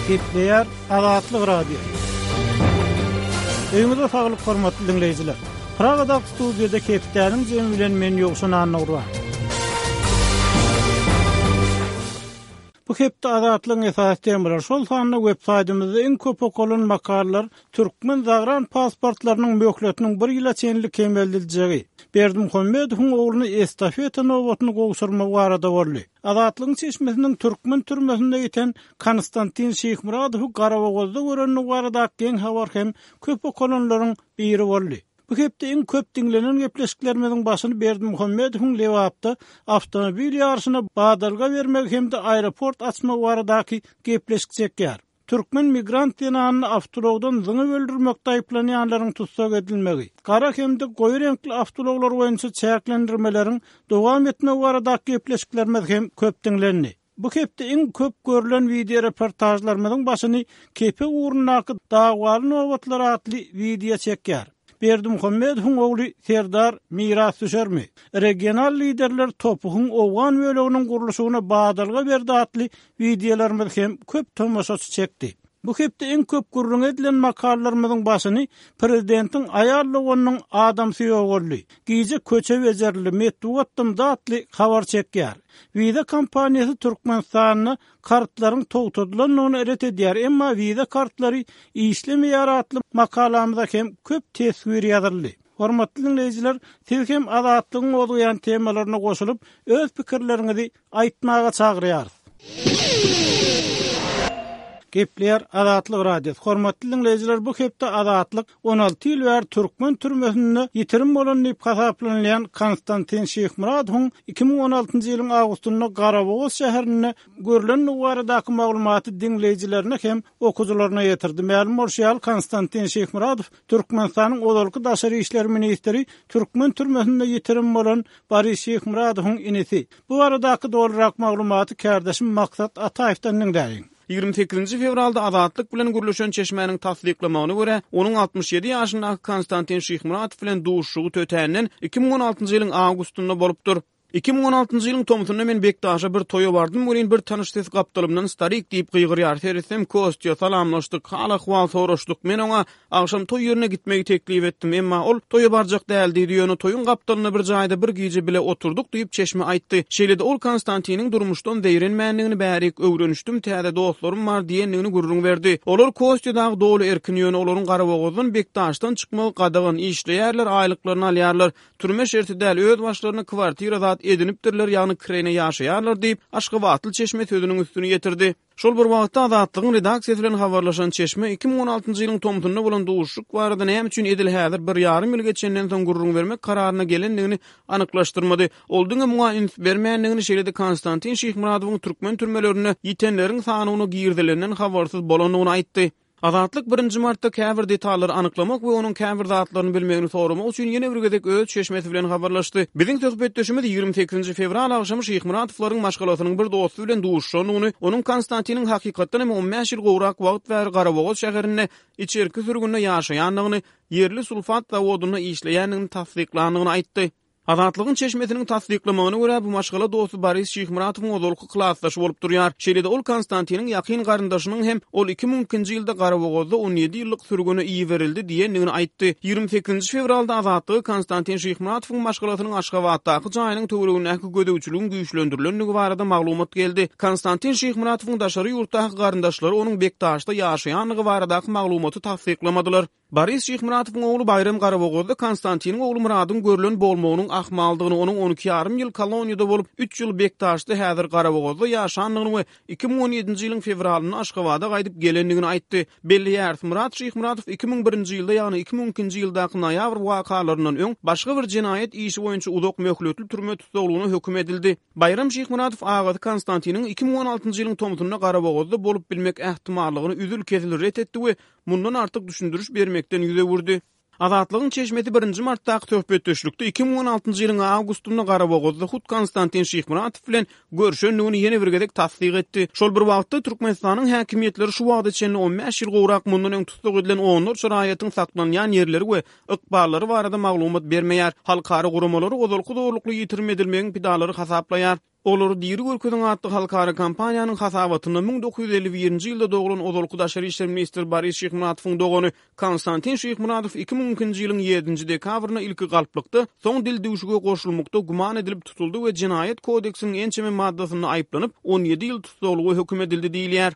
Gepleýär Azatlyk Radiosy. Öýüňize saglyk hormatly diňleýjiler. Pragadaky studiýada hepdäniň jemi bilen men Ýowşan Annagurban. Bu hepde Azatlygyň esasy temalary, şol sanda web saýtymyzda iň köp okalan makalalar türkmen zagran pasportlarynyň möhletiniň bir ýyla çenli kemeldiljegi, Berdimuhamedowyň ogluny estafeta nobatyny gowşurmagy barada boldy. Azatlygyň çeşmesiniň türkmen türmesinde ýiten Konstantin Şyhmyradowy Garabogazda görendigi baradaky geň habar hem köp okalanlaryň biri boldy. Bu hepde iň köp diňlenen gepleşiklerimiziň başyny Berdimuhamedowyň Lebapda awtomobil ýaryşyna badalga bermegi hem-de aeroport açmagy baradaky gepleşik çekýär. Türkmen migrant zenanyny awtoulagdan zyňyp öldürmekde aýyplanýanlaryň tussag edilmegi, gara hem-de goýy reňkli awtoulaglar boýunça çäklendirmeleriň dowam etmegi baradaky gepleşiklerimiz hem köp diňlendi. Bu hepde iň köp görlen wideoreportažlarymyzyň başyny Kepek ugrundaky dawaly nobatlar atly wideo çekýär. Berdimuhamedowyň ogly Serdar mirasdüşermi? Regional liderler TOPH-yň owgan böleginiň gurluşygyna badalga berdi atly wideolarymyz hem köp tomaşaçy çekdi. Bu hepde iň köp gürrüňi edilen makalalarymyzyň başyny prezidentiň aýal doganynyň adamsy ýogaldy, gije köçe bejerildi, metbugat dymdy atly habar çekýär. Visa kompaniýasy Türkmenistanda kartlaryň togtadylandygyny ret edýär, emma Visa kartlary işlemeýär atly makalamyza hem köp teswir ýazyldy. Hormatly diňleýjiler, siz hem Azatlygyň gozgaýan temalaryna goşulyp, öz pikirleriňizi aýtmaga çagyrýarys. Gepleýär Azatlyk Radiosy. Hormatly diňleýjiler, bu hepde Azatlyk 16 ýyl bäri türkmen türmesinde ýitirim bolan diýip hasaplanylýan Konstantin Şyhmyradowyň 2016-njy ýylyň awgustynda Garabogaz şäherinde görlendigi baradaky maglumaty diňleýjilerine hem okyjylaryna ýetirdi. Mälim bolşy ýaly, Konstantin Şyhmyradow Türkmenistanyň ozalky daşary işler ministri, türkmen türmesinde ýitirim bolan Boris Şyhmyradowyň inisi. Bu baradaky dolurak maglumaty kärdeşim Maksat Ataýewden diňläýiň. 28-nji fewralda Azatlyk bilen gürleşen çeşmäniň tassyklamagyna görä, onuň 67 ýaşyndaky Konstantin Şyhmyradow bilen duşuşygy tötänden 2016-njy ýylyň awgustynda bolupdyr. 2016-njy ýylyň tomsunda men Bekdaşa bir toýa bardym welin bir tanyş ses gapdalymdan starik diýip gygyrýar. Seretsem Kostýa, salamlaşdyk, hal-ahwal soraşdyk. Men oňa agşam toý ýerine gitmegi teklip etdim. Emma ol toýa barjak däl diýdi, ýöne toýuň gapdalynda bir jaýda bir gije bile oturdyk diýip çeşme aýtdy. Şeýle-de ol Konstantiniň durmuşdan zeýrenmändigini bärik öwrenişdim, täze dostlarym bar diýendigini gürrüň berdi. Olar Kostýa dagy doly erkin, ýöne olaryň Garabogazdan Bekdaşdan çykmagy gadagan, işleýärler, aýlyklaryny alýarlar. Türme şerti däl, öz başlaryna kwartira zat edinipdirler, ýagny kireýne ýaşaýarlar diýip, aşgabatly çeşme sözüniň üstüni ýetirdi. Şol bir wagtda, Azatlygyň redaksiýasy bilen habarlaşan çeşme 2016-njy ýylyň tomsunda bolan duşuşyk barada näme üçin edil häzir bir ýarym ýyl geçenden soň gürrüň bermek kararyna gelendigini anyklaşdyrmady. Ol diňe muňa üns bermändigini, şeýle-de Konstantin Şyhmyradowyň türkmen türmelerinde ýitenleriň sanawyna girizilenden habarsyz bolandygyny aýtdy. Azatlyk birinji martda käbir detallary anyklamak we onuň käbir zatlaryny bilmegini soramak üçin ýene bir gezek öz çeşmesi bilen habarlaşdy. Biziň söhbetdeşimiz 28-nji fewral agşamy Şyhmyratowlaryň maşgalasynyň bir dosty bilen duşuşandygyny, onuň Konstantiniň hakykatdan hem on bäş ýyl gowrak wagt bäri Garabogaz şäherinde içerki sürgünde ýaşaýandygyny, ýerli sulfat zawodynda işleýändigini tassyklandygyny aýtdy. Azatlygyň çeşmesiniň tassyklamagyna görä, bu maşgala dosty Boris Şyhmyratowyň ozalky klasdaşy bolup durýar. Şeýle-de ol Konstantiniň ýakyn garyndaşynyň hem ol 2002-nji ýylda Garabogazda on ýedi ýyllyk sürgüne iberildi diýendigini aýtdy. 28-nji fewralda Azatlyga Konstantin Şyhmyratowyň maşgalasynyň Aşgabatdaky jaýynyň töweregindäki gözegçiligiň güýçlendirilendigi barada maglumat geldi. Konstantin Şyhmyratowyň daşary ýurtdaky garyndaşlary onuň Bekdaşda ýaşaýandygy baradaky maglumaty tassyklamadylar. Boris Şyhmyratowyň ogly Baýram Garabogazda Konstantiniň ogly Myradyň görlen bolmagynyň ahmaldygyny, onuň on iki ýarym ýyl koloniýada bolup, üç ýyl Bekdaşda, häzir Garabogazda ýaşandygyny we 2017-nji ýylyň fewralynda Aşgabada gaýdyp gelendigini aýtdy. Belleýäris, Myrat Şyhmyratow 2001-nji ýylda, ýagny 2002-nji ýyldaky noýabr wakalaryndan öň başga bir jenaýat işi boýunça uzak möhletli türme tussaglygyna höküm edildi. Baýram Şyhmyradow agasy Konstantiniň 2016-njy ýylyň tomsunda Garabogazda bolup bilmek ähtimallygyny üzül-kesil ret etdi we mundan artyk düşündiriş bermekden ýüz öwürdi. Azatlygyň çeşmesi birinji martdaky söhbetdeşlikde 2016-njy ýylyň awgustynda Garabogazda hut Konstantin Şyhmyratow bilen görşendigini ýene bir gezek tassyk etdi. Şol bir wagtda, Türkmenistanyň häkimiýetleri şu wagta çenli on bäş ýyl gowrak mundan öň tussag edilen onlarça raýatyň saklanýan ýerleri we ykballary barada maglumat bermeýär. Halkara guramalary ozalky zorlukly ýitirim edilmegiň pidalary hasaplaýar. Olary diri görkeziň atly halkara kampaniýanyň hasabatynda 1951-nji ýylda doglan ozalky daşary işler ministri Boris Şyhmuratowyň dogany Konstantin Şyhmuradow 2002-nji ýylyň ýedinji dekabrynda ilki galplykda, soň dildüwşüge goşulmakda güman edilip tutuldy we Jenaýat kodeksiniň ençeme maddasynda aýyplanyp, 17 ýyl tussaglyga höküm edildi diýilýär.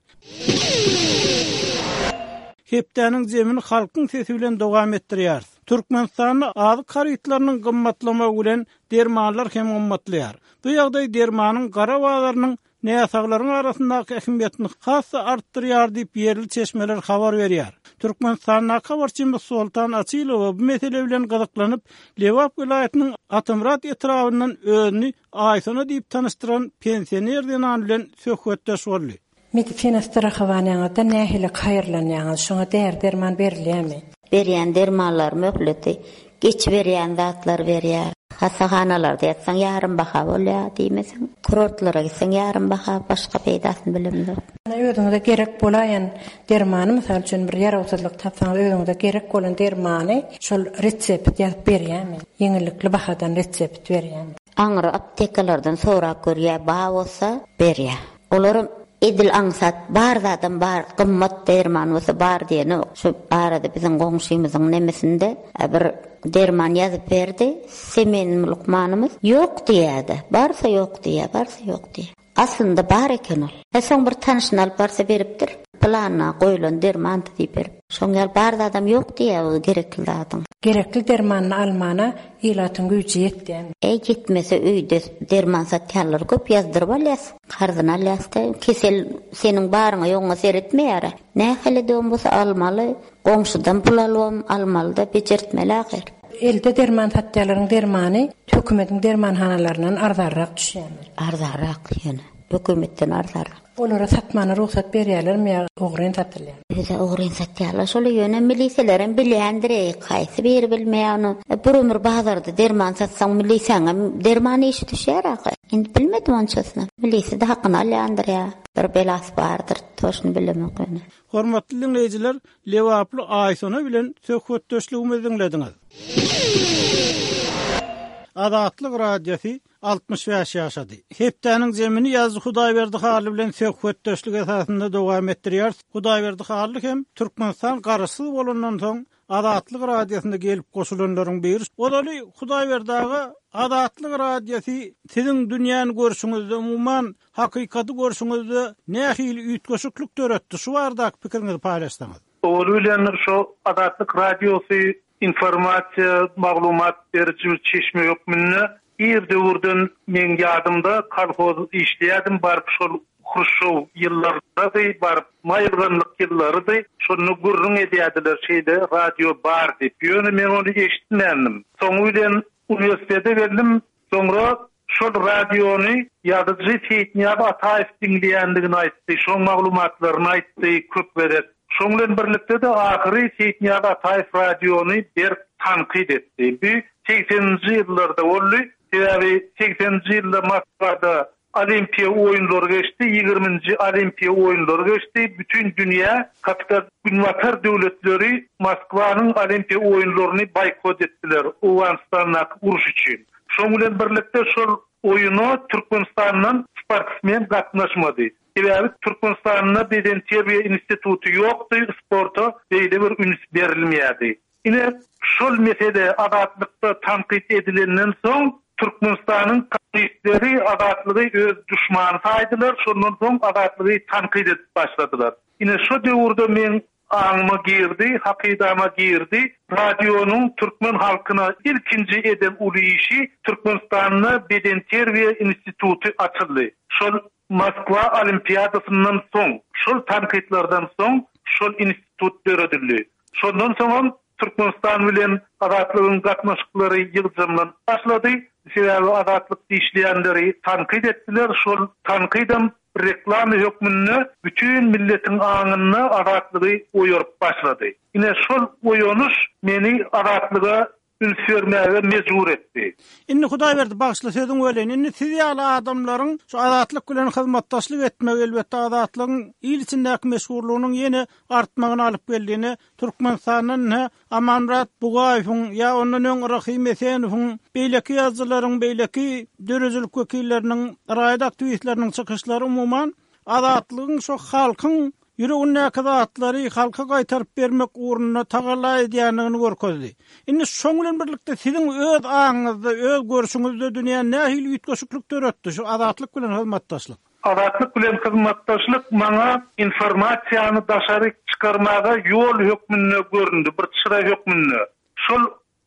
Hepdäniň zemini Halkyň sesi bilen dowam etdirýäris. Türkmenistanda azyk harytlarynyň gymmatlamagy bilen dermanlar hem gymmatlaýar. Bu ýagdaý dermanyň gara bazarynyň näsaglaryň arasyndaky ähmiýetini has-da artdyrýar diýip, ýerli çeşmeler habar berýär. Türkmenistandaky habarçymyz Soltan Açylowa bu mesele bilen gyzyklanyp, Lebap welaýatynyň Atamyrat etrabyndan özüni Aýsona diýip tanyşdyran pensioner zenan bilen söhbetdeş boldy. Medisina strahowaniýaňyzda nähili haýyrlanýaňyz? Şoňa däri-derman berilýärmi? Berýän dermanlary möhleti geçiberýän zatlar berýär. Hassahanalarda ýatsaň ýarym baha bolýar diýmeseň. Kurortlara gitseň ýarym baha, başga peýdasyny bilemzok. Özüňize gerek bolaýan dermany, mysal üçin bir ýarawsyzlyk tapsaňyz özüňize gerek bolan dermany şol retsept ýazyp berýärmi? Ýeňillikli bahadan retsept berýärmi? Aňry aptekalardan sorap görýär, bar bolsa berýär. Olaram edil aňsat bar zadam bar, gymmat derman bolsa bar diýenok. Şu arada biziň goňşymyzyň nemesinde bir derman ýazyp berdi, semen lukmanymyz ýok diýýärdi. Barsa ýok diýýär, barsa ýok diýýär. Aslynda bar eken ol. Hä soň bir tanyşyny alyp barsa beripdir. Planyna goýlan dermandy diýip berip. Şoň ýaly bar zadam ýok diýýär o gerekli zadyň. Gerekli dermanyny almana ilatyň güýji ýetýärmi? Eý ýetmese öýde derman satýanlar köp ýazdyryp alýas. Karzyny alýasda kesel seniň baryňa ýoguňa seretmeýärä. Nähili döwüm bolsa almaly. Goňşudan pul alybam almalyda bejertmeli ahyr. Elde derman satýanlaryň dermany hökümetiň dermanhanalaryndan arzanrak düşýärmi? Arzanrak ýöne. Hökümetden arzanrak. Olara satmana rugsat berýärlermi ýa ogryn satylýarmy? Özä ogryn satýarlar şoly ýöne miliselerem bilýändireý haýsy biri bilmeýär ony. Bir ömür bazarda derman satsaň milisäňem derman işi düşýär ahyr. Indi bilmedim onçasyny. Milisede hakyny alýandyr ýa bir belasy bardyr toşny bilemok ýöne. Hormatly diňleýjiler, lebaply Aýsona bilen söhbetdeşligimizi diňlediňiz. Azatlyk Radiosy 65 ýaşady. Hepdäniň zemini ýazyjy Hudaýberdi Hally bilen söhbetdeşlik esasynda dowam etdirýäris. Hudaýberdi Hally hem Türkmenistan Garaşsyz bolandan soň Azatlyk Radiosyna gelip goşulanlaryň biri. Ozaly Hudaýberdi aga, Azatlyk Radiosy siziň dünýäni görşüňizde, umuman, hakykaty görşüňizde nähili üýtgeşiklik döretdi? Şu baradaky pikiriňizi paýlaşsaňyz. Owaly bilen şo Azatlyk Radiosy informasiýa, maglumat beriji bir çeşme hökmünde ir döwürden meň ýadymda kolhoz işleýärdim baryp şol Hruşşow ýyllarydady baryp maýylganlyk ýyllarydy şonda gürrüň edýärdiler şeýle radio bar diýip ýöne men ony eşitmändim soňy bilen uniwersitete geldim Soňra şol radiony ýazyjy Seýitnyýaz Ataýew diňleýändigini aýtdy, şoň maglumatlaryny aýtdy köp gezek. Şoň bilen birlikde-de ahyry Seýitnyýaz Ataýew radiony berk tankyt etdi. Bu segseninji ýyllarda boldy. Sebäbi segseninji ýylda Moskwada Olimpiýa oýunlary geçdi, ýigriminji Olimpiýa oýunlary geçdi. Bütin dünýä, kapital Günbatar döwletleri Moskwanyň Olimpiýa oýunlaryny boýkot etdiler Owganystandaky uruş üçin. Şoň bilen birlikde şol oýuna Türkmenistandan sportsmen gatnaşmady. Sebäbi Türkmenistanda bedenterbiýe instituty ýokdy, sporta beýle bir üns berilmeýärdi. Ine, şol mesele Azatlykda tankyt edilenden soň, Türkmenistanyň kommunistleri Azatlygy öz duşmany saýdylar, şondan soň Azatlygy tankyt edip başladylar. Ine, şo döwürde meň aňyma girdi, hakydama girdi, radionyň türkmen halkyna ilkinji eden uly işi Türkmenistanda bedenterbiýe instituty açyldy. Şol Moskwa olimpiadasyndan soň, şol tankytlardan soň şol institut döredildi. Şondan soňam Türkmenistan bilen Azatlygyň gatnaşyklary ýygjamlanyp başlady. Sebäbi Azatlyk işleýänleri tankyt etdiler. Şol tankydam reklama hökmünde bütin milletiň aňynda Azatlygy oýaryp başlady. Ine şol oýanyş meni Azatlyga. Üns bermäge mejbur etdi. Indi Hudaýberdi bagyşla sözüňi böleýin. Indi siz ýaly adamlaryň şu Azatlyk bilen hyzmatdaşlyk etmegi elbetde Azatlygyň il içindäki meşhurlygynyň ýene artmagyna alyp geldi. Ine Türkmenistandan ine Amanmyrat Bugaýewiň ýa ondan öň Rahym Esenowyň beýleki ýazyjylaryň beýleki döredijilik wekilleriniň raýat aktiwistleriniň çykyşlary umuman Azatlygyň şu halkyň ýüregindäki zatlary halka gaýtaryp bermek ugrunda tagalla edýändigini görkezdi. Indi şoň bilen birlikde siziň öz aňyňyzda, öz görşüňizde dünýä nähili üýtgeşiklik döretdi şu Azatlyk bilen hyzmatdaşlyk? Azatlyk bilen hyzmatdaşlyk maňa informasiýany daşaryk çykarmaga ýol hökmünde göründi, bir çyra hökmünde. Şol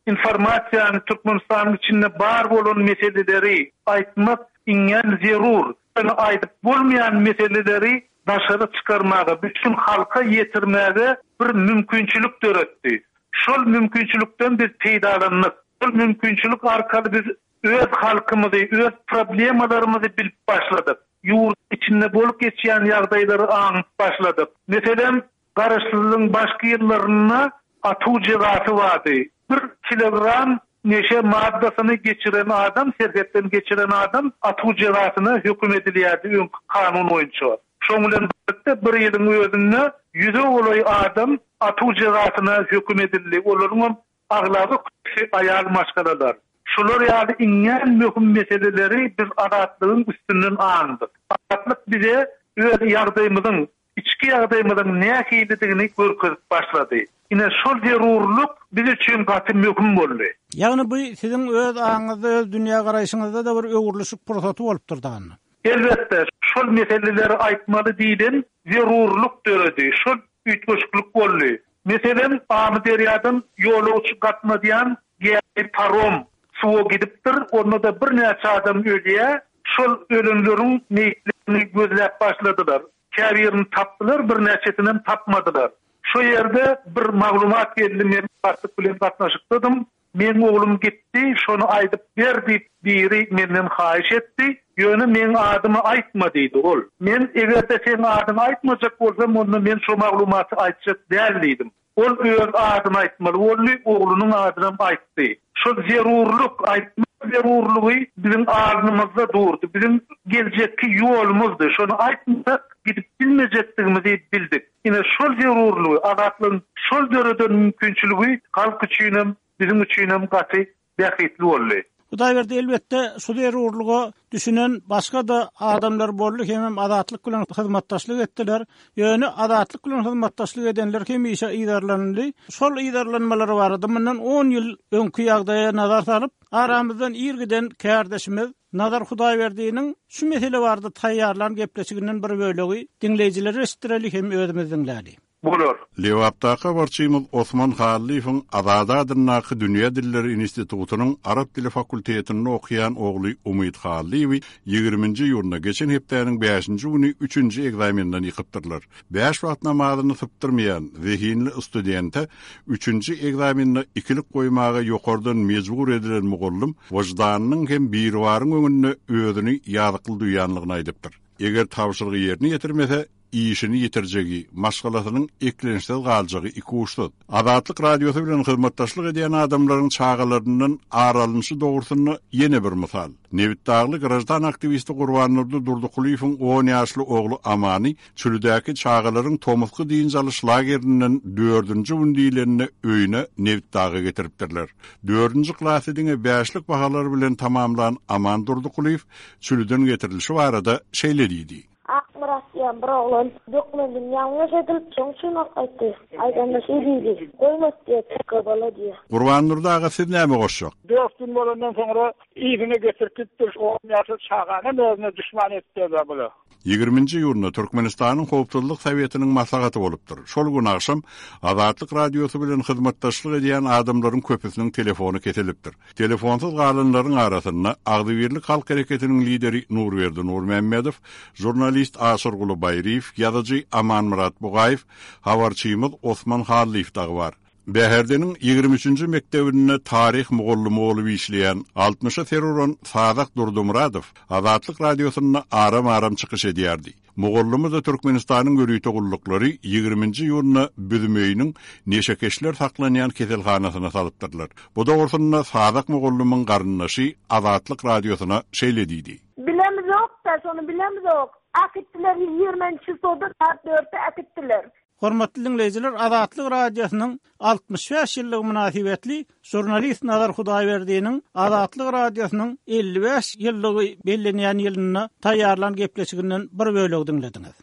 Informasiýany Türkmenistanyň içinde bar bolan meseleleri aýtmak iňňän zerur. Ýöne aýdyp bolmaýan meseleleri daşary çykarmaga, bütin halka ýetirmäge bir mümkinçilik döretdi. Şol mümkinçilikden biz peýdalandyk. Şol mümkinçilik arkaly biz öz halkymyzy, öz problemalarymyzy bilip başladyk. Ýurduň içinde bolup geçýän ýagdaýlary aňyp başladyk. Meselem, Garaşsyzlygyň başky ýyllarynda atuw jezasy bardy. Bir kilogram neşe maddasyny geçiren adam, serhetden geçiren adam atuw jezasyna höküm edilýärdi öňki kanun boýunça. Şoň bilen birlikde bir ýylyň özünde ýüze golaý adam atuw jezasyna höküm edildi. Olaryňam Aglaba köpüsi aýal maşgalalar. Şular ýaly iňňän möhüm meseleleri biz Azatlygyň üstünden aňdyk. Azatlyk bize öz ýagdaýymyzyň, içki ýagdaýymyzyň nähilidigini görkezip başlady. Ine, şol zerurlyk biz üçin gaty möhüm boldy. Ýagny bu siziň öz aňyňyzda, öz dünýägaraýşyňyzda-da bir öwrülişik pursaty bolupdyr dagynda. Elbetde, şol meseleleri aýtmaly diýlen zerurlyk döredi, şol üýtgeşiklik boldy. Meselem, Amyderýadan ýolagçy gatnadýan gämi, parom, suwa gidipdir, onda-da birnäçe adam ölýär. Şol ölenleriň meýitlerini gözläp başladylar. Käbirini tapdylar, birnäçesinem tapmadylar. Şo ýerde bir maglumat geldi, men başlyk bilen gatnaşykdadym. Meň oglum gitdi, şony aýdyp ber diýip biri menden haýyş etdi. Ýöne meň adymy aýtma diýdi ol. Men eger-de seň adyňy aýtmajak bolsam onda men şo maglumaty aýtjak däl diýdim. Ol öz adyny aýtmaly boldy, oglunyň adynam aýtdy. Şol zerurlyk, aýtmak zerurlygy biziň alnymyzda durdy, biziň geljekki ýolumyzdy. Şony aýtmasak gidip bilmejekdigimizi bildik. Ine, şol zerurlygy, Azatlygyň şol döreden mümkinçiligi halk üçinem, biziň üçinem gaty bähbitli boldy. Hudaýberdi, elbetde, şu zerurlyga düşünen başga-da adamlar boldy hemem Azatlyk bilen hyzmatdaşlyk etdiler. Ýöne Azatlyk bilen hyzmatdaşlyk edenler hemişe yzarlanyldy. Şol yzarlanmalar barada mundan on ýyl öňki ýagdaýa nazar salyp, aramyzdan ir giden kärdeşimiz Nazar Hudaýberdiniň şu mesele barada taýýarlan gepleşiginden bir bölegi diňleýjilere eşitdireli hem özümiz diňläli. Bolar. Lebapdaky habarçymyz Osman Hallyýewiň Azady adyndaky Dünýä dilleri institutynyň arap dili fakultetinde okaýan ogly Umyt Hallyýewi ýigriminji iýunda, geçen hepdäniň bäşinji güni üçünji ekzamenden ýykypdyrlar. Bäş wagt namazyny sypdyrmaýan zehinli studente üçünji ekzamende ikilik goýmaga ýokardan mejbur edilen mugallym wyždanynyň hem Biribaryň öňünde özüni ýazykly duýanlygyny aýdypdyr. Eger tabşyrygy ýerine ýetirmese, işini ýitirjegi, maşgalasynyň eklençsiz galjagy ikuçsuz. Azatlyk Radiosy bilen hyzmatdaşlyk edýän adamlaryň çagalaryndan ar alnyşy dogrusynda ýene bir mysal. Nebitdagly graždan aktiwisti Gurbandurdy Durdykulyýewiň on ýaşly ogly Amany Çülidäki çagalaryň tomusky dynç alyş lagerinden dördünji gün diýlende öýüne Nebitdaga getiripdirler. Dördünji klasy diňe bäşlik bahalar bilen tamamlan Aman Durdykulyýew Çüliden getirilişi barada şeýle diýdi. Akmyrat diýen bir oglan dokumentini ýalňyş edilip, şoň üçin alyp gaýtdy. Aýdanda şeý diýdi, Goýmas diýýär, çykga bala diýýär. Gurbandurdy aga siz näme goşjak? Dört gün bolandan soňra yzyna getirip gitdir. On ýaşly çaganam özüne duşman etdiler bular. Ýigriminji iýunda Türkmenistanyň Howpsuzlyk Sowetiniň maslahaty bolupdyr. Şol gün agşam Azatlyk Radiosy bilen hyzmatdaşlyk edýän adamlaryň köpüsiniň telefony kesilipdir. Telefonsyz galanlaryň arasynda Agzybirlik halk hereketiniň lideri Nurberdi Nurmämmedow, žurnalist Aşyrguly Baýryýew, ýazyjy Amanmyrat Bugaýew, habarçymyz Osman Hallyýew dagy bar. Bäherdeniň ýigrimi üçünji mekdebinde taryh mugallymy bolup işleýän, altmyşa ser uran Sazak Durdymyradow Azatlyk Radiosynda aram-aram çykyş edýärdi. Mugallymy-da Türkmenistanyň ýörite gulluklary ýigriminji iýunda Büzmeýiniň neşekeşler saklanýan keselhanasyna salypdyrlar. Bu dogrusynda Sazak mugallymyň garyndaşy Azatlyk Radiosyna şeýle diýdi. Bilemizok-da, şony bilemizok. Äkitdiler, ýigriminji çisloda saat dörtde äkitdiler. Hormatly diňleýjiler, Azatlyk Radiosynyň 65 ýyllygy mynasybetli žurnalist Nazar Hudaýberdiniň Azatlyk Radiosynyň 55 ýyllygy bellenýän ýylynda taýýarlan gepleşiginden bir bölegi diňlediňiz.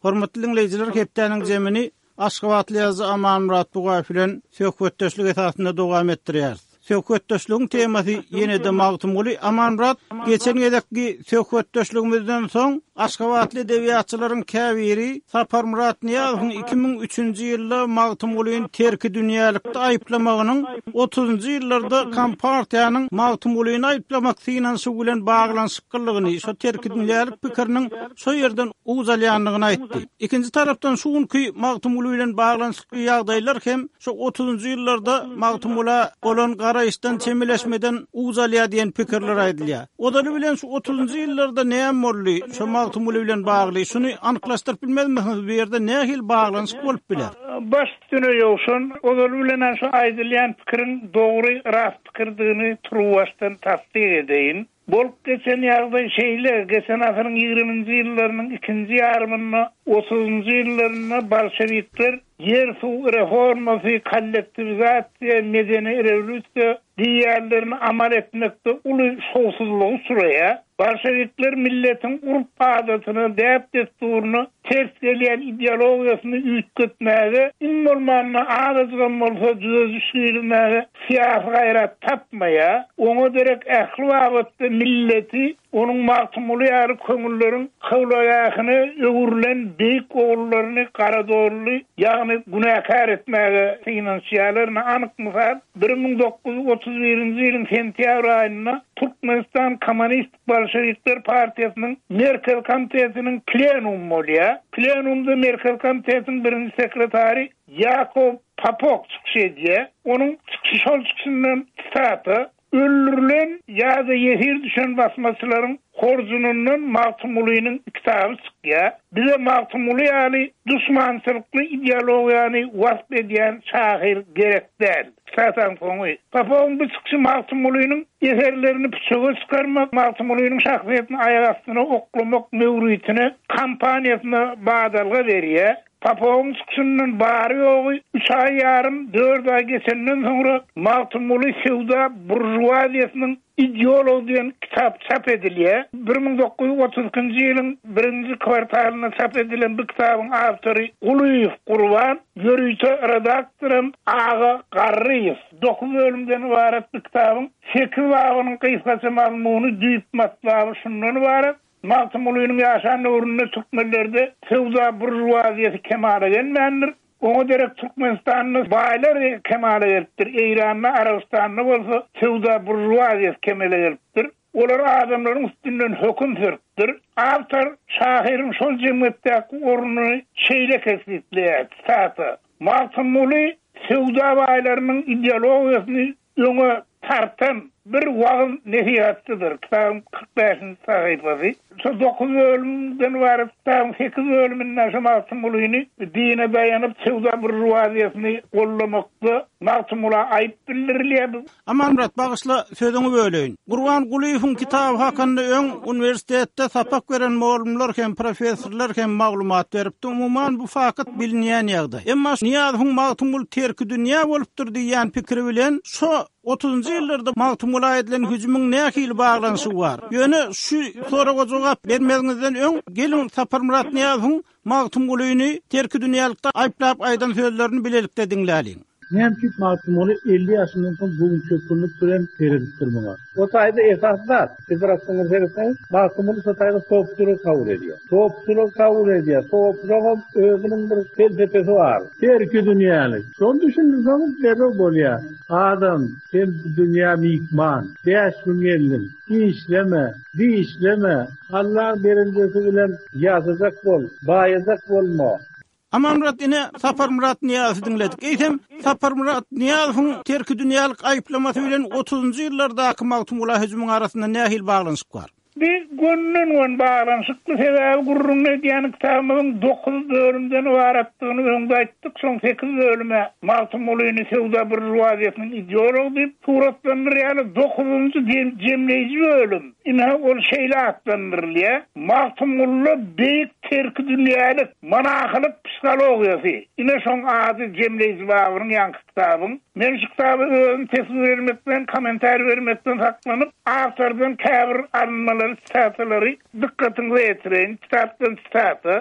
Hormatly diňleýjiler, hepdäniň jemini Aşgabatly ýazyjy Amanmyrat Bugaýew bilen söhbetdeşlik esasynda dowam etdirýäris. Söhbetdeşligiň temasy ýene-de Magtymguly. Amanmyrat, geçen gezekki söhbetdeşligimizden soň aşgabatly edebiýatçylaryň käbiri Saparmyrat Nyýazowyň 2003-nji ýylda Magtymgulyny terkidünýälikde aýyplamagynyň otuzynjy ýyllarda Kompartiýanyň Magtymgulyny aýyplamak synanyşygy bilen baglanyşyklydygyny, şo terkidünýälik pikiriniň şo ýerden uç alýandygyny aýtdy. Ikinji tarapdan şu günki Magtymguly bilen baglanyşykly ýagdaýlar hem şo otuzynjy ýyllarda Magtymgula bolan garaýyşdan, çemeleşmeden uç alýar diýen pikirler aýdylýar. Ozaly bilen şu otuzynjy ýyllarda näme boldy şo Magtymguly bilen bagly, şuny anyklaşdyryp bilmezmisiňiz, bu ýerde nähili baglanyşyk bolup biler? Baş üstüne Ýowşan, ozaly bilen-ä şu aýdylýan pikiriň dogry, rast pikirdigini turuwbaşdan tassyk edeýin. Bolup geçen ýagdaý şeýle, geçen asyryň ýigriminji ýyllarynyň ikinji ýarymynda, otuzynjy ýyllarynda bolşewikler ýer-suw reformasy, kollektiwizasiýa, medeni rewolýusiýa diýýänlerini amal etmekde uly şowsuzlyga uçraýar. Bolşewikler milletiň urp-adatyna, däp-dessuryna ters gelýän ideologiýasyny üýtgetmäge, iň bolmanda azajygam bolsa düzediş girizmäge syýasy gaýrat tapmaýar. Oňa derek ähli babatda milleti onuň Magtymguly ýaly köňülleriň kyblagähine öwrülen beýik ogullaryny garadolly, ýagny günäkär etmäge synanyşýarlar. Ine, anyk mysal, 1931-nji ýylyň sentýabr aýynda Türkmenistan Kommunistik Bolşewikler partiýasynyň Merkezi komitetiniň plenumy bolýar. Plenumda Merkezi komitetiň birinji sekretary Ýakow Popok çykyş edýär. Onuň çykyşy şol çykyşyndan sitata, Öldürilen ýa-da ýesir düşen basmaçylaryň horjunyndan Magtymgulynyň kitaby çykýar. Bize Magtymguly ýaly duşmançylykly ideologiýany wasp edýän şahyr gerek däl. Sitataň soňy. Popowyň bu çykyşy Magtymgulynyň eserlerini püçege çykarmak, Magtymgulynyň şahsyýetini aýak astyna oklamak möwritine, kampaniýasyna badalga berýär. Popowyň çykyşyndan bary-ýogy üç aý ýarym, dört aý geçenden soňra Magtymguly söwda buržuaziýasynyň ideology diýen kitap çap edilýär. 1932-nji ýylyň birinji kwartalynda çap edilen bu kitabyň awtory Gulyýew Gurban, ýörite redaktoram Aga Garryýew. Dokuz bölümden ybarat bu kitabyň sekiz babynyň gysgaça mazmuny, düýp matlaby şundan ybarat, Magtymgulynyň ýaşan döwründe türkmenlerde söwda buržuaziýasy kemala gelmändir. Oňa derek Türkmenistanda baýlar kemala gelipdir, Eýranda, Arabystanda bolsa söwda buržuaziýasy kemele gelipdir. Olar adamlaryň üstünden höküm sürüpdir. Awtor şahyryň şol jemgyýetdäki ornuny şeýle kesgitleýär, sitata, Magtymguly söwda baýlarynyň ideologiýasyny öňe tartan bir wagyz-nesihatçydyr, kitabyň 45-nji sahypasy. Şo dokuz bölümden ybarat kitabyň sekiz bölüminde şo Magtymgulyny dine daýanyp söwda buržuaziýasyny gollamakda Magtymgula aýyp bildirilýär. Amanmyrat, bagyşla, sözüňi böleýin. Gurban Gulyýewiň kitaby hakynda öň uniwersitetde sapak beren mugallymlar hem, professorlar hem maglumat beripdi. Umuman, bu fakt bilinýän ýagdaý. Emma Nyýazowyň Magtymguly terkidünýä bolupdyr diýýän pikiri bilen şo otuzynjy ýyllarda Magtymgula edilen hüjümiň nähili baglanyşygy bar? Ýöne şu soraga jogap bermeziňizden öň, geliň Saparmyrat Nyýazowyň Magtymgulyny terkidünýälikde aýyplap aýdan sözlerini bilelikde diňläliň. Näme üçin Magtymguly 50 ýaşyndan soň göwünçökgünlik bilen seredipdir muňa? O taýda esasy zat, siz biraz soňra seretseňiz, Magtymguly şo taýda sopçulygy kabul edýär. Sopçulygy kabul edýär. Sopçulygam özüniň bir pelsepesi bar. Terkidünýälik. Şony düşündirseňiz derrew bolýar. Adam, sen bu dünýä myhman. Bäş gün geldiň. Işleme, dişleme. Allaň berenjesi bilen ýaşajak bol, baýajak bolma. Amanmyrat ine Saparmyrat Nyýazowy diňledik. Eýsem, Saparmyrat Nyýazowyň terkidünýälik aýyplamasy bilen otuzynjy ýyllardaky Magtymgula hüjümiň arasynda nähili baglanyşyk bar? Bi gönden-göni baglanyşykly, sebäbi gürrüňini edýän kitabymyzyň dokuz bölümden ybaratdygyny öňde aýtdyk, şoň sekiz bölüm-ä Magtymgulyny söwda buržuaziýasynyň ideology diýip suratlandyrýarlar, dokuzynjy jemleýji bölüm, ine, ol şeýle atlandyrylýar, Magtymgulyda beýik terkidünýälik, monahylyk psihologiýasy, ine, şoň ady jemleýji babynyň ýaňky kitabyň. Men şu kitaba özüm teswir bermekden, kommentariý bermekden saklanyp, awtordan käbir alynmalary, sitatalary dykgatyňyza ýetireýin. Kitapdan sitata,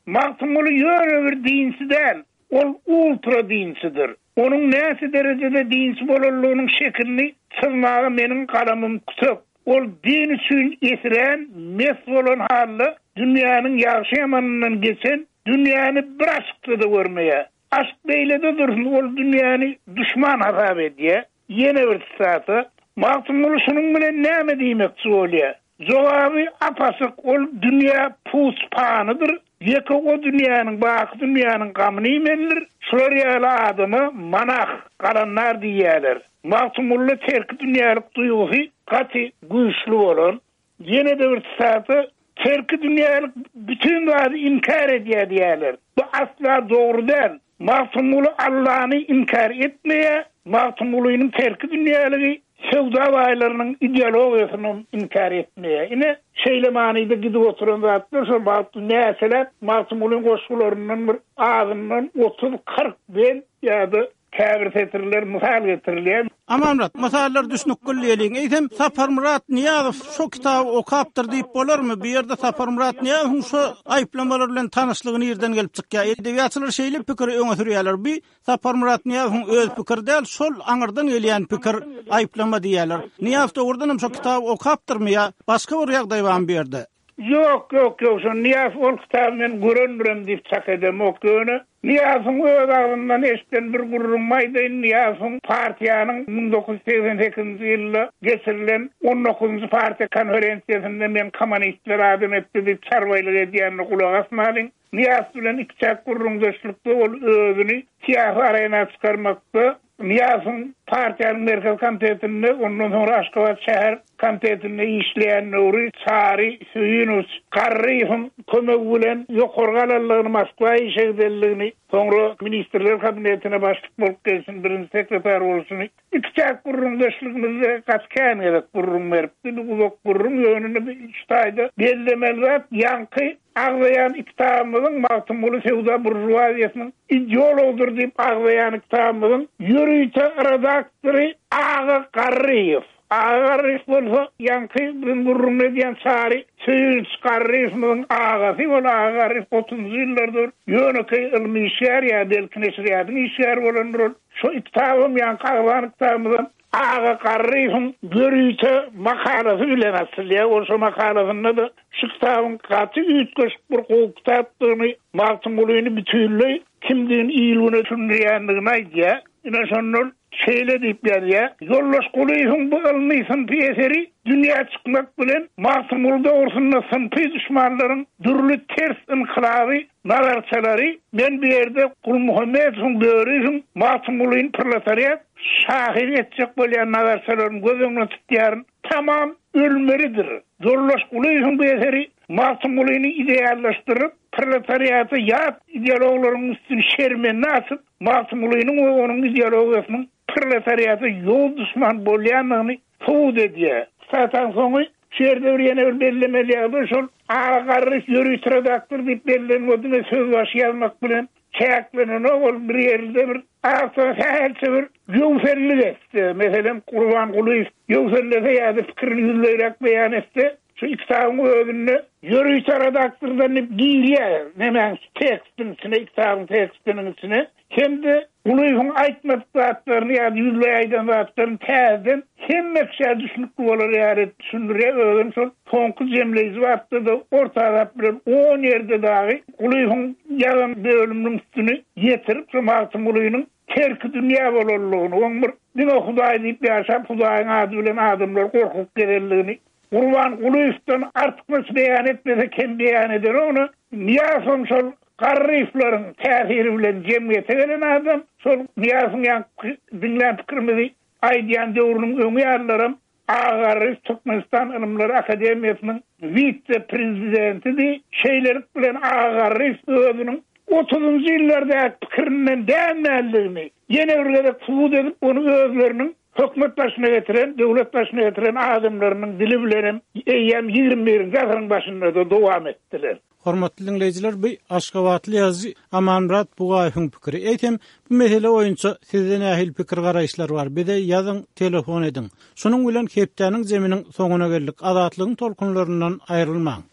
Magtymguly ýöne bir dinçi däl, ol ultra dinçidir. Onuň näçe derejede dinçi bolanlygynyň şekilini çyzmaga meniň galamym kütek. Ol din üçin esirän, mes bolan halda dünýäniň ýagşy-ýamanyndan geçen, dünýäni bir açykda-da görmeýär. Aşk beýlede dursun, ol dünýäni duşman hasap edýär. Ýene bir sitata, Magtymguly şunuň bilen näme diýmekçi bolýar? Jogaby ap-açyk, ol dünýä puç panydyr, ýeke o dünýäniň, baky dünýäniň gamyny iýmelidir, şular ýaly adama monah, galandar diýýärler. Magtymgulyda terkidünýälik duýgusy gaty güýçli bolan. Ýene-de bir sitata, Terki dünýälik bütin zady inkär edýär diýýärler. Bu asla dogry däl. Magtymguly Allany inkär etmeýär, Magtymgulynyň terki dünýäligi söwda baýlarynyň ideologiýasynam inkär etmeýär. Ine, şeýle manyda gidip oturan zatlar şol wagt näçeläp Magtymgulyň goşgularyndan bir azyndan otuz-kyrk bent ýa-da Käbir setirler mysal getirilýär. Amanmyrat, mysallar düşnükli diýeliň. Eýsem, Saparmyrat Nyýazow şo kitaby okapdyr diýip bolarmy? Bu ýerde Saparmyrat Nyýazowyň şo aýyplamalar bilen tanyşlygy nirden gelip çykýar? Edebiýatçylar şeýle pikiri öňe sürýärler. Bu Saparmyrat Nyýazowyň öz pikiri däl, şol aňyrdan gelýän pikir, aýyplama diýýärler. Nyýazow dogrudan hem şo kitaby okapdyrmy ýa başga bir ýagdaý barmy bu ýerde? Ýok, ýok, ýok, şo Nyýazow ol kitaby men görendirem diýip çak edemok. Ýöne Nyýazowyň öz agzyndan eşiden bir gürrüňimi aýdaýyn, Nyýazowyň partiýanyň 1988-nji ýylda geçirilen on dokuzynjy partiýa konferensiýasynda men kommunistler adam etdi diýip çarbaýlyk edýänine gulak asmalyň. Nyýazow bilen ikiçäk gürrüňdeşlikde ol özüni syýasy arena çykarmakda Nyýazowyň partiýanyň Merkezi Komitetinde, ondan soňra Aşgabat şäher komitetinde işleýän döwri Çary Söýünowiç Garryýewiň kömegi bilen ýokary galanlygyny, Moskwa işe gidenligini, soňra Ministrler Kabinetine başlyk bolup gelşini, birinji sekretar bolşuny ikiçäk gürrüňdeşligimizde gaty kän gezek gürrüň beripdi. Bu uzak gürrüň, ýöne şu taýda bellemeli zat, ýaňky Agzaýan kitabymyzyň Magtymguly söwda buržuaziýasynyň ideologydyr diýip agzaýan kitabymyzyň ýörite redaktory Aga Garryýew. Aga Garryýew bolsa ýaňky biziň gürrüňini edýän Çary Söýünç Garryýewimiziň agasy. Ol Aga Garryýew otuzynjy ýyllarda bir ýönekeý ylmy işgär ýa belki neşirýatyň işgäri bolandyr ol. Şo kitabam ýaňky agzan kitabymyzam Aga Garryýewiň ýörite makalasy bilen açylýar. Ol şo makalasynda-da şu kitabyň gaty üýtgeşik bir gowy kitapdygyny, Magtymgulyny bütinleý kimdigini il-güne düşündirýändigini aýdýar. Ine, şonda ol şeýle diýip ýazýar, Ýoldaş Gulyýewiň bu ylmy-synpy eseri dünýä çykmak bilen Magtymguly dogrusynda synpy duşmanlaryň dürli ters ynkylaby nazarçalary, men bu ýerde Gulmuhammedowyň, Böriýewiň Magtymgulyny proletariat şahyr etjek bolýan nazarçalaryny göz öňünde tutýaryn, tamam ölmelidir. Ýoldaş Gulyýewiň bu eseri Magtymgulyny ideallaşdyryp, proletariata ýat ideologlaryň üstüni şermende açyp, Magtymgulynyň we onuň ideologiýasynyň proletariata ýowuz duşman bolýandygyny subut edýär. Sataň soňy şu ýerde bir ýene bir bellemeli ýagdaý şol Aga Garryýew ýörite redaktor diýip bellenen o diňe sözbaşy ýazmak bilen çäklenenok ol bir ýerde bir awtora sähelçe bir ýöwsellik etse, meselem Gurban Gulyýew ýöwsellese ýa-da pikirini ýüzleýräk beýan etse şu kitabyň özünde ýörite redaktordan diýip girýär nemäň tekstiň içine kitabyň tekstiniň içine Hem-de Gulyýewiň aýtmadyk zatlaryny ýa-da ýüzleý aýdan zatlaryny täzeden hemme kişä düşnükli bolar ýaly edip düşündirýär. Özem şol soňky jemleýji bapda-da orta azap bilen on ýerde dagy Gulyýewiň ýazan bölüminiň üstüni ýetirip, şo Magtymgulynyň terkidünýä bolanlygyny, oň bir diňe Hudaý diýip ýaşap, Hudaýyň ady bilen adamlary gorkuzyp gezenligini Gurban Gulyýewden artykmaç beýan etmese kem beýan edenok. Nyýazowam şol Garryýewleriň täsiri bilen jemgyýete gelen adam, şol Nyýazowyň ýaňky diňlän pikirimizi aýdýan döwrüniň öňi ýalylaram. A. Garryýew Türkmenistan Ylymlar akademiýasynyň wise-prezidentidi. Şeýlelik bilen A. Garryýew özüniň otuzynjy ýyllardaky pikirinden dänmänligini ýene bir gezek subut edip, ony özleriniň hökümet başyna getiren, döwlet başyna getiren adamlarynyň dili bilenem eýýäm ýigrimi birinji asyryň başynda-da dowam etdiler. Hormatly diňleýjiler, bu aşgabatly ýazyjy Amanmyrat Bugaýewiň pikiri. Eýsem, bu mesele boýunça sizde nähili pikir-garaýyşlar bar? Bize ýazyň, telefon ediň. Şunuň bilen hepdäniň zeminiň soňuna geldik. Azatlygyň tolkunlaryndan aýrylmaň.